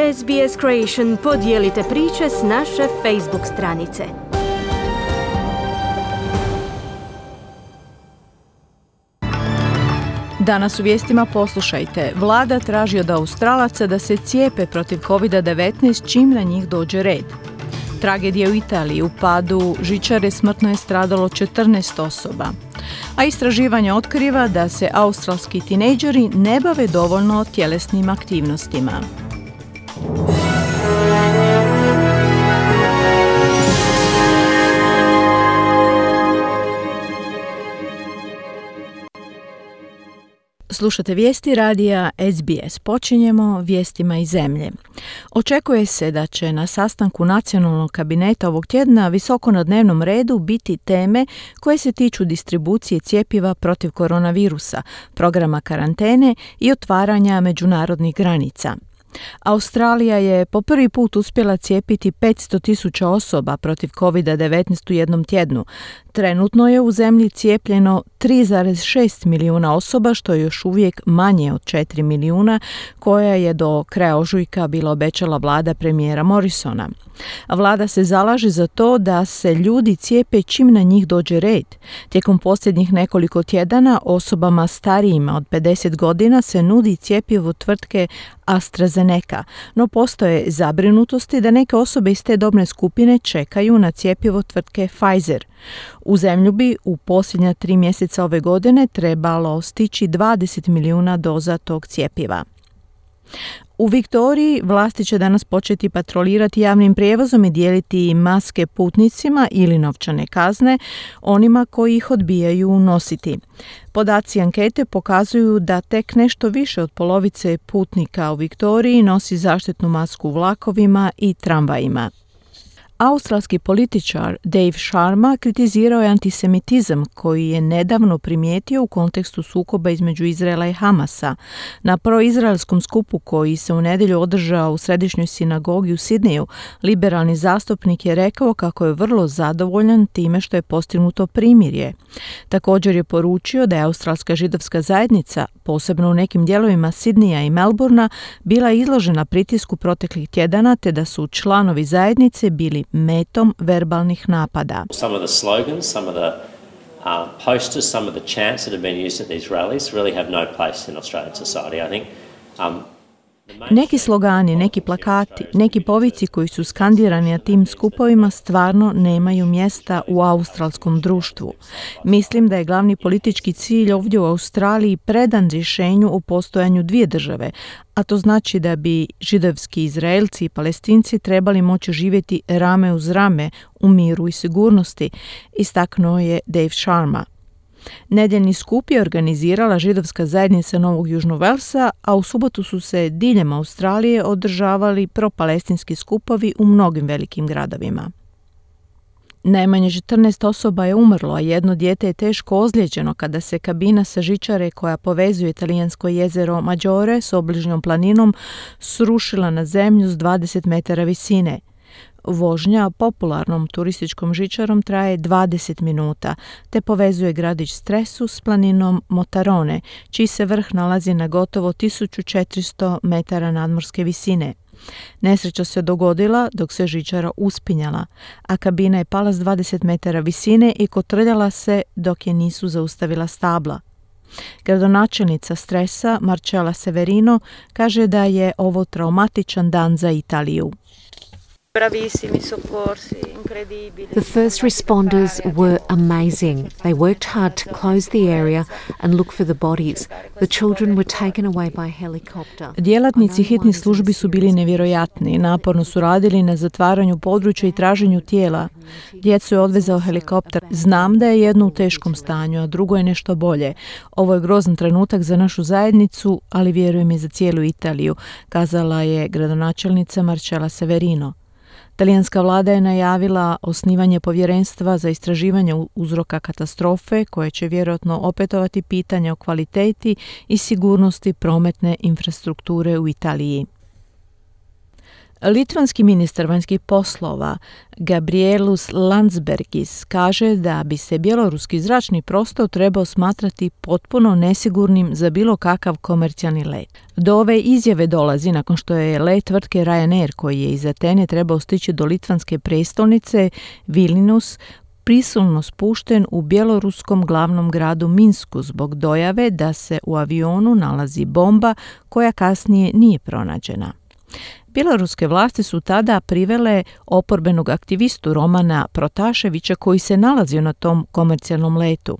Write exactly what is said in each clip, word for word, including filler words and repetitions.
S B S Creation podijelite priče s naše Facebook stranice. Danas u vijestima poslušajte. Vlada traži od Australaca da se cijepe protiv kovid devetnaest čim na njih dođe red. Tragedija u Italiji, u padu žičare smrtno je stradalo četrnaest osoba. A istraživanje otkriva da se australski tinejdžeri ne bave dovoljno tjelesnim aktivnostima. Slušate vijesti radija S B S. Počinjemo vijestima iz zemlje. Očekuje se da će na sastanku nacionalnog kabineta ovog tjedna visoko na dnevnom redu biti teme koje se tiču distribucije cjepiva protiv koronavirusa, programa karantene i otvaranja međunarodnih granica. Australija je po prvi put uspjela cijepiti petsto tisuća osoba protiv kovid devetnaest u jednom tjednu. Trenutno je u zemlji cijepljeno tri zarez šest milijuna osoba, što je još uvijek manje od četiri milijuna koja je do kraja ožujka bila obećala vlada premijera Morrisona. Vlada se zalaže za to da se ljudi cijepe čim na njih dođe red. Tijekom posljednjih nekoliko tjedana osobama starijima od pedeset godina se nudi cjepivo tvrtke AstraZeneca, no postoje zabrinutosti da neke osobe iz te dobne skupine čekaju na cjepivo tvrtke Pfizer. U zemlju bi u posljednja tri mjeseca ove godine trebalo stići dvadeset milijuna doza tog cjepiva. U Viktoriji vlasti će danas početi patrolirati javnim prijevozom i dijeliti maske putnicima ili novčane kazne onima koji ih odbijaju nositi. Podaci ankete pokazuju da tek nešto više od polovice putnika u Viktoriji nosi zaštitnu masku u vlakovima i tramvajima. Australski političar Dave Sharma kritizirao je antisemitizam koji je nedavno primijetio u kontekstu sukoba između Izraela i Hamasa. Na proizraelskom skupu koji se u nedjelju održao u središnjoj sinagogi u Sidneju, liberalni zastupnik je rekao kako je vrlo zadovoljan time što je postignuto primirje. Također je poručio da je australska židovska zajednica, posebno u nekim dijelovima Sidneja i Melbourna, bila izložena pritisku proteklih tjedana te da su članovi zajednice bili metom verbalnih napada. Some of the slogans, some of the uh, posters, some of the chants that have been used at these rallies really have no place in Australian society. I think um, Neki slogani, neki plakati, neki povici koji su skandirani na tim skupovima stvarno nemaju mjesta u australskom društvu. Mislim da je glavni politički cilj ovdje u Australiji predan rješenju o postojanju dvije države, a to znači da bi židovski Izraelci i Palestinci trebali moći živjeti rame uz rame u miru i sigurnosti, istaknuo je Dave Sharma. Nedjeljni skup je organizirala židovska zajednica Novog Južnog Velsa, a u subotu su se diljem Australije održavali propalestinski skupovi u mnogim velikim gradovima. Najmanje četrnaest osoba je umrlo, a jedno dijete je teško ozlijeđeno kada se kabina sa žičare koja povezuje italijansko jezero Maggiore s obližnjom planinom srušila na zemlju s dvadeset metara visine. Vožnja popularnom turističkom žičarom traje dvadeset minuta, te povezuje gradić Stresu s planinom Motarone, čiji se vrh nalazi na gotovo tisuću četiristo metara nadmorske visine. Nesreća se dogodila dok se žičara uspinjala, a kabina je pala s dvadeset metara visine i kotrljala se dok je nisu zaustavila stabla. Gradonačelnica Stresa, Marcella Severino, kaže da je ovo traumatičan dan za Italiju. The first responders were amazing. They worked hard to close the area and look for the bodies. The children were taken away by helicopter. Djelatnici hitnih službi su bili nevjerojatni. Naporno su radili na zatvaranju područja i traženju tijela. Djecu je odvezao helikopter. Znam da je jedno u teškom stanju, a drugo je nešto bolje. Ovo je grozan trenutak za našu zajednicu, ali vjerujem i za cijelu Italiju, kazala je gradonačelnica Marcella Severino. Talijanska vlada je najavila osnivanje povjerenstva za istraživanje uzroka katastrofe koje će vjerojatno opetovati pitanje o kvaliteti i sigurnosti prometne infrastrukture u Italiji. Litvanski ministar vanjskih poslova Gabrielus Landsbergis kaže da bi se bjeloruski zračni prostor trebao smatrati potpuno nesigurnim za bilo kakav komercijalni let. Do ove izjave dolazi nakon što je let tvrtke Ryanair, koji je iz Atene trebao stići do litvanske prestolnice Vilnius, prisilno spušten u bjeloruskom glavnom gradu Minsku zbog dojave da se u avionu nalazi bomba koja kasnije nije pronađena. Bjeloruske vlasti su tada privele oporbenog aktivistu Romana Protaševića koji se nalazio na tom komercijalnom letu.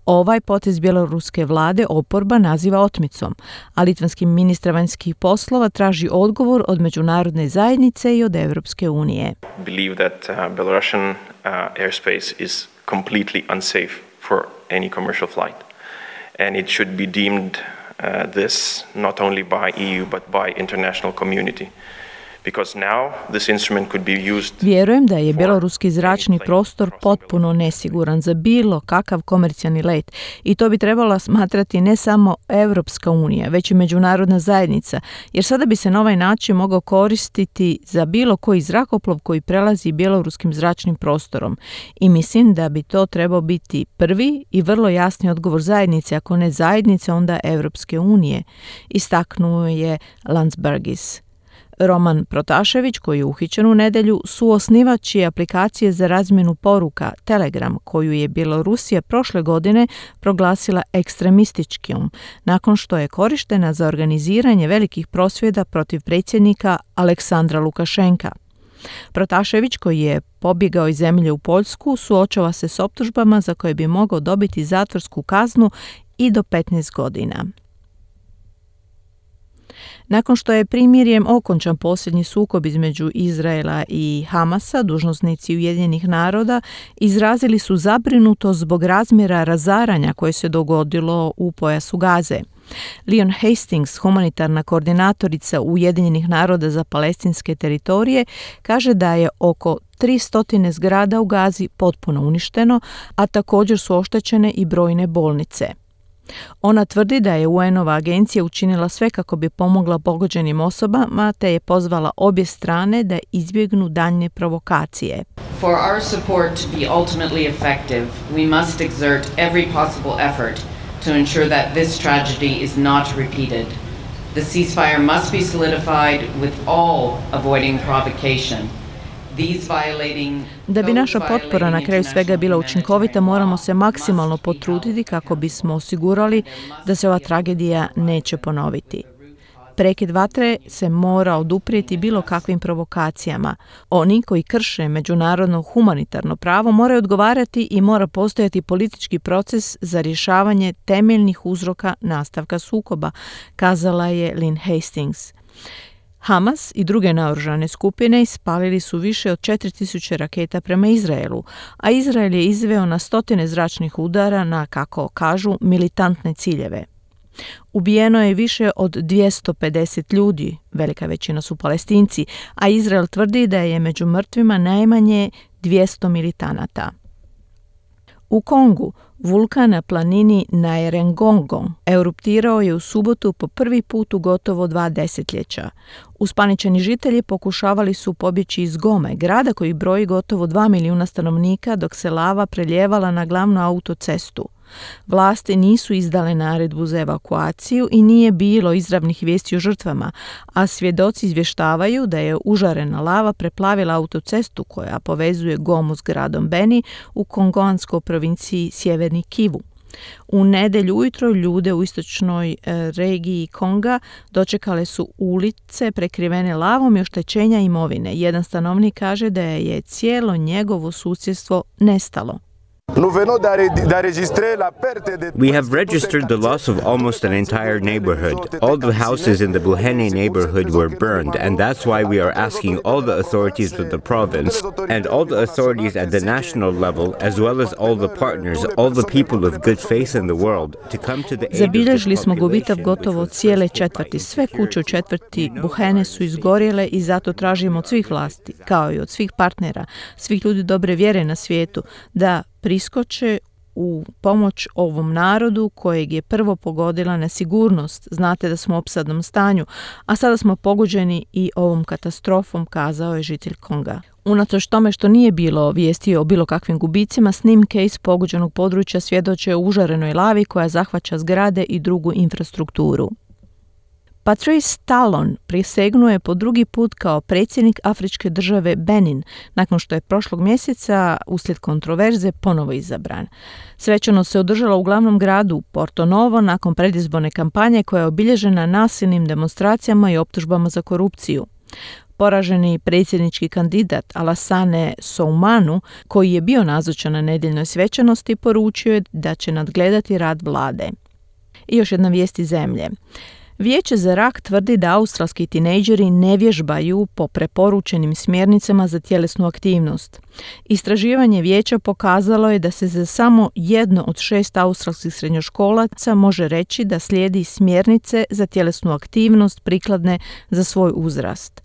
Ovaj potez bjeloruske vlade oporba naziva otmicom, a litvanski ministar vanjskih poslova traži odgovor od međunarodne zajednice i od Europske unije. Believe that uh, Belarusian uh, airspace is completely unsafe for any commercial flight, and it should be deemed uh, this not only by E U but by international community. Because now this instrument could be used. Vjerujem da je bjeloruski zračni prostor potpuno nesiguran za bilo kakav komercijalni let i to bi trebala smatrati ne samo Europska unija, već i međunarodna zajednica, jer sada bi se na ovaj način mogao koristiti za bilo koji zrakoplov koji prelazi bjeloruskim zračnim prostorom. I mislim da bi to trebao biti prvi i vrlo jasni odgovor zajednice, ako ne zajednice, onda Europske unije, istaknuo je Landsbergis. Roman Protašević, koji je uhićen u nedjelju, suosnivač je aplikacije za razmjenu poruka Telegram, koju je Bjelorusija prošle godine proglasila ekstremističkom, nakon što je korištena za organiziranje velikih prosvjeda protiv predsjednika Aleksandra Lukašenka. Protašević, koji je pobjegao iz zemlje u Poljsku, suočava se s optužbama za koje bi mogao dobiti zatvorsku kaznu i do petnaest godina. Nakon što je primirjem okončan posljednji sukob između Izraela i Hamasa, dužnosnici Ujedinjenih naroda izrazili su zabrinutost zbog razmjera razaranja koje se dogodilo u pojasu Gaze. Leon Hastings, humanitarna koordinatorica Ujedinjenih naroda za palestinske teritorije, kaže da je oko tristo zgrada u Gazi potpuno uništeno, a također su oštećene i brojne bolnice. Ona tvrdi da je U N-ova agencija učinila sve kako bi pomogla pogođenim osobama, te je pozvala obje strane da izbjegnu daljnje provokacije. For our support to be ultimately effective, we must exert every possible effort to ensure that this tragedy is not repeated. The ceasefire must be solidified with all avoiding provocation. Da bi naša potpora na kraju svega bila učinkovita, moramo se maksimalno potruditi kako bismo osigurali da se ova tragedija neće ponoviti. Prekid vatre se mora oduprijeti bilo kakvim provokacijama. Oni koji krše međunarodno humanitarno pravo moraju odgovarati i mora postojati politički proces za rješavanje temeljnih uzroka nastavka sukoba, kazala je Lynn Hastings. Hamas i druge naoružane skupine ispalili su više od četiri tisuće raketa prema Izraelu, a Izrael je izveo na stotine zračnih udara na, kako kažu, militantne ciljeve. Ubijeno je više od dvjesto pedeset ljudi, velika većina su Palestinci, a Izrael tvrdi da je među mrtvima najmanje dvjesto militanata. U Kongu vulkan na planini Nyiragongo eruptirao je u subotu po prvi put u gotovo dva desetljeća. Uspaničeni žitelji pokušavali su pobjeći iz Gome, grada koji broji gotovo dva milijuna stanovnika, dok se lava preljevala na glavnu autocestu. Vlasti nisu izdale naredbu za evakuaciju i nije bilo izravnih vijesti o žrtvama, a svjedoci izvještavaju da je užarena lava preplavila autocestu koja povezuje Gomu s gradom Beni u kongoanskoj provinciji Sjeverni Kivu. U nedjelju ujutro ljude u istočnoj e, regiji Konga dočekale su ulice prekrivene lavom i oštećenja imovine. Jedan stanovnik kaže da je cijelo njegovo susjedstvo nestalo. We have registered the loss of almost an entire neighborhood. All the houses in the Buhene neighborhood were burned, and that's why we are asking all the authorities of the province and all the authorities at the national level, as well as all the partners, all the people of good faith in the world, to come to the aid of this Zabilježili smo gubitak population gotovo cijele četvrti. Sve kuće u četvrti Buhene su izgorjele i zato tražimo od svih vlasti, kao i od svih partnera, svih ljudi dobre vjere na svijetu, da priskoče u pomoć ovom narodu kojeg je prvo pogodila nesigurnost. Znate da smo u opsadnom stanju, a sada smo pogođeni i ovom katastrofom, kazao je žitelj Konga. Unatoč tome što nije bilo vijesti o bilo kakvim gubicima, snimke iz pogođenog područja svjedoče o užarenoj lavi koja zahvaća zgrade i drugu infrastrukturu. Patrice Talon prisegnuo je po drugi put kao predsjednik afričke države Benin, nakon što je prošlog mjeseca uslijed kontroverze ponovo izabran. Svečanost se održala u glavnom gradu Porto Novo nakon predizborne kampanje koja je obilježena nasilnim demonstracijama i optužbama za korupciju. Poraženi predsjednički kandidat Alassane Soumanu, koji je bio nazočan na nedjeljnoj svečanosti, poručio je da će nadgledati rad vlade. I još jedna vijest iz zemlje. Vijeće za rak tvrdi da australski tinejdžeri ne vježbaju po preporučenim smjernicama za tjelesnu aktivnost. Istraživanje vijeća pokazalo je da se za samo jedno od šest australskih srednjoškolaca može reći da slijedi smjernice za tjelesnu aktivnost prikladne za svoj uzrast.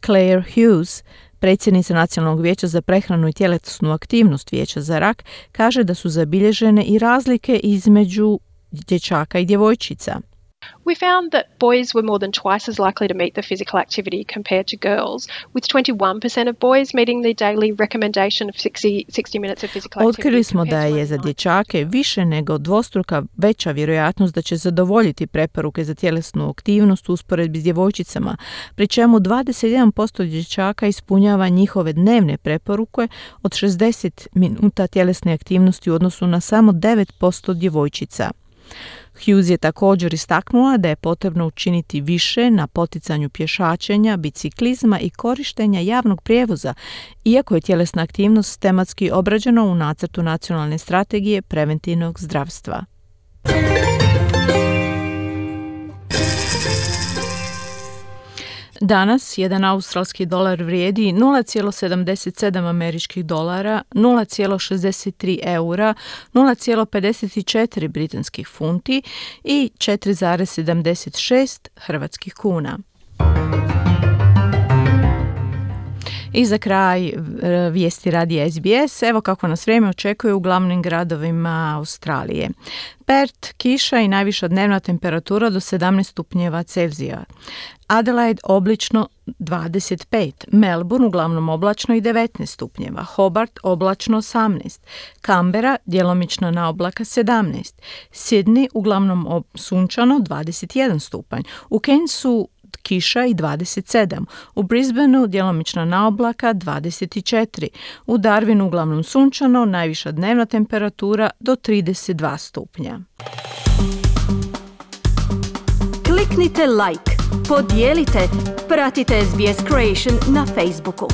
Claire Hughes, predsjednica Nacionalnog vijeća za prehranu i tjelesnu aktivnost Vijeća za rak, kaže da su zabilježene i razlike između dječaka i djevojčica. We found that boys were more than twice as likely to meet the physical activity compared to girls, with twenty-one percent of boys meeting the daily recommendation of sixty minutes of physical activity. Otkrili smo da je za dječake više nego dvostruka veća vjerojatnost da će zadovoljiti preporuke za tjelesnu aktivnost u usporedbi s djevojčicama, pri čemu dvadeset jedan posto dječaka ispunjava njihove dnevne preporuke od šezdeset minuta tjelesne aktivnosti u odnosu na samo devet posto djevojčica. Hughes je također istaknula da je potrebno učiniti više na poticanju pješačenja, biciklizma i korištenja javnog prijevoza, iako je tjelesna aktivnost tematski obrađena u nacrtu nacionalne strategije preventivnog zdravstva. Danas jedan australski dolar vrijedi nula zarez sedamdeset sedam američkih dolara, nula zarez šezdeset tri eura, nula zarez pedeset četiri britanskih funti i četiri zarez sedamdeset šest hrvatskih kuna. I za kraj vijesti radija S B S, evo kako nas vrijeme očekuje u glavnim gradovima Australije. Perth, kiša i najviša dnevna temperatura do sedamnaest stupnjeva Celzija. Adelaide oblično dvadeset pet, Melbourne uglavnom oblačno i devetnaest stupnjeva, Hobart oblačno osamnaest, Canberra djelomično na oblaka sedamnaest, Sydney uglavnom sunčano dvadeset jedan stupanj, u Cairnsu kiša i dvadeset sedam, u Brisbaneu djelomično na oblaka dvadeset četiri, u Darwinu uglavnom sunčano, najviša dnevna temperatura do trideset dva stupnja. Kliknite like, podijelite, pratite S B S Creation na Facebooku.